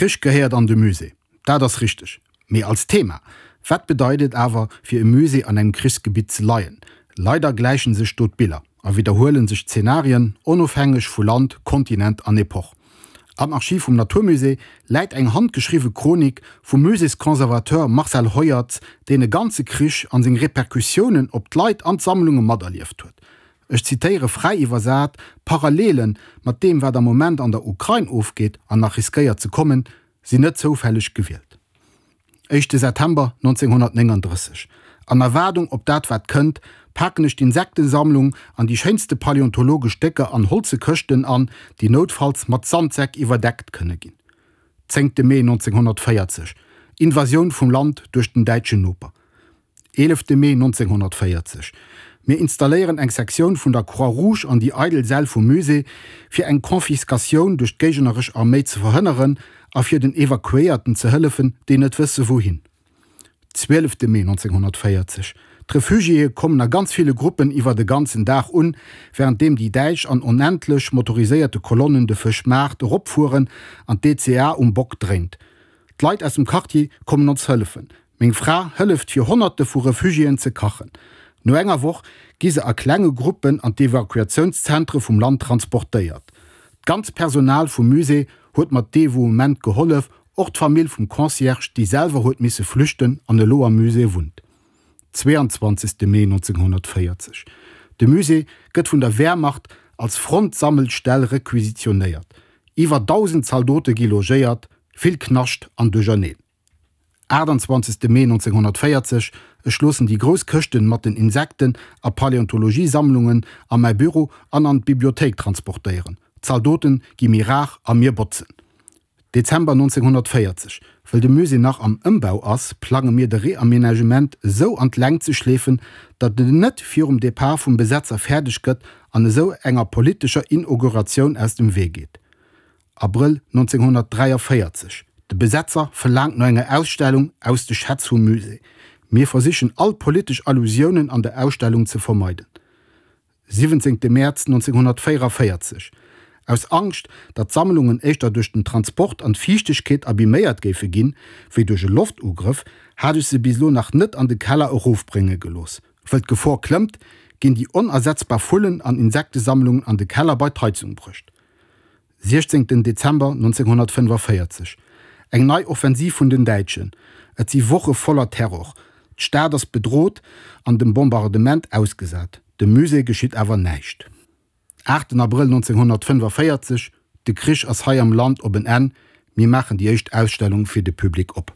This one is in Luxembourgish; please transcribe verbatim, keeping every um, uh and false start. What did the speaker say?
Krich gehéiert an de Musée, dat ass richteg. Mee als Thema. Wat bedeit et awer, fir e Musée an engem Krichsgebitt ze leien? Leider gläichen sech do d'Biller a widderhuelen sech d'Zenarien, onofhängeg vu Land, Kontinent an Epoch. Am Archiv vum Naturmusée läit eng handgeschriwwe Chronik vum Muséesconservateur Marcel Heuertz, deen e ganze Krich an seng Repercussiounen op d'Leit an d'Sammlunge materlieft huet. Ech zitéiere fräi iwwersat, D'Parallele mat deem, wat am Moment an der Ukrain ofgeet an nach riskéiert ze kommen, sinn net zoufälleg gewielt. Éischte September nonzénghonnertnénganddrësseg, An Erwaardung op dat wat kënnt, paken ech d'Insektesammlung an déi schéinste paläontologesch Stécker an holze Këschten an, déi noutfalls mat Sandsäck iwwerdeckt kënne ginn. Zéngte Mee nonzénghonnertvéierzeg, Invasioun vum Land duerch den däitschen Noper. Eelefte Mee nonzénghonnertvéierzeg, Mir installéieren eng Sektioun vun der Croix-Rouge an déi eidel Säll vum Musée, fir eng Confiscatioun duerch d'géigneresch Arméi ze verhënneren a fir den Evakuéierten ze hëllefen, déi net wësse wouhin. Zwielefte Mee nonzénghonnertvéierzeg, D'Refugiéë kommen a ganz ville Gruppen iwwer de ganzen Dag un, wärenddeem déi Däitsch an onendlech motoriséierte Kolonnen de Fëschmaart eropfueren an d'D C A um Bock dréint. D'Leit aus dem Quartier kommen ons hëllefen. Meng Fra hëlleft fir Honnerte vu Refugiéen ze kachen. No enger Woch gi se a klenge Gruppen an d'Evakuatiounszentre vum Land transportéiert. D'ganz Personal vum Musée huet mat Devouement gehollef, och d'Famill vum Concierge, déi selwer huet misse flüchten an elo am Musée wunnt. Zweeanzwanzegste Mee nonzénghonnertvéierzeg, De Musée gëtt vun der Wehrmacht als Frontsammelstell requisitionéiert. Iwwer dausend Zaldote gi logéiert, vill Knascht an Duercherneen. Aachtanzwanzegste Mee nonzénghonnertvéierzeg, Ech loossen déi grouss Këschten mat den Insekten a Paläontologiesammlungen a mäi Büro an an d'Bibliothéik transportéieren. D'Zaldoten gi méi rar a mir botzen. Dezember nonzénghonnertvéierzeg, Wëll de Musée nach am Ëmbau ass, plange mir de Reaménagement esou an d'Längt ze schleefen, datt en net virum Depart vum Besetzer fäerdeg gëtt an esou enger politescher Inauguratioun aus dem Wee geet. Abrëll nonzénghonnertdräiavéierzeg, De Besetzer verlaangt no enger Ausstellung aus de Schätz vum Musée. Mir versichen all politesch Allusiounen an der Ausstellung ze vermeiden. Siwwenzéngte Mäerz nonzénghonnertvéierevéierzeg, Aus Angscht, datt d'Sammlungen éischter duerch den Transport an d'Fiichtegkeet abiméiert géife ginn, wéi duerch e Loftugrëff, hat ech se bis elo nach net an de Keller erofbrénge gelooss. Wëll d'Gefor klëmmt, ginn déi onersetzbar Vullen an Insektesammlungen an de Keller bei d'Heizung bruecht. Siechzéngten Dezember nonzénghonnertfënnefaféierzeg, Eng nei Offensiv vun den Däitschen. Et si Woche voller Terror. D'Stad ass bedrot an dem Bombardement ausgesat. Dem Musée geschitt awer näischt. Aachten Abrëll nonzénghonnertfënnefaféierzeg, De Krich ass hei am Land op en Enn. Mir maachen déi éischt Ausstellung fir de Public op.